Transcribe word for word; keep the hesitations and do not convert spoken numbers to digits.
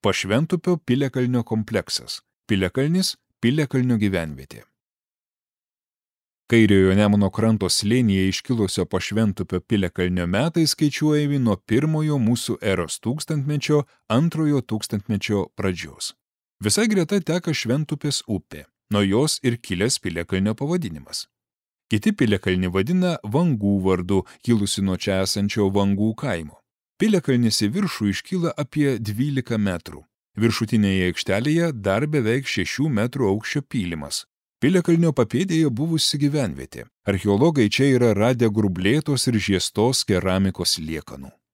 Pašventupio Piliakalnio kompleksas. Piliakalnis – Piliakalnio gyvenvietė. Kairiojo Nemuno kranto slėnyje iškilusio Pašventupio Piliakalnio metai skaičiuojami nuo pirmojo mūsų eros tūkstantmečio, antrojo tūkstantmečio pradžios. Visai greta teka Šventupės upė, nuo jos ir kilęs Piliakalnio pavadinimas. Kiti Piliakalnį vadina Vangų vardu, kilusi nuo čia esančio Vangų kaimo. Piliakalnis į viršų iškyla apie dvylika metrų. Viršutinėje aikštelėje dar beveik šešių metrų aukščio pylimas. Piliakalnio papėdėje buvusi gyvenvietė. Archeologai čia yra radę grublėtos ir žiestos keramikos liekanų.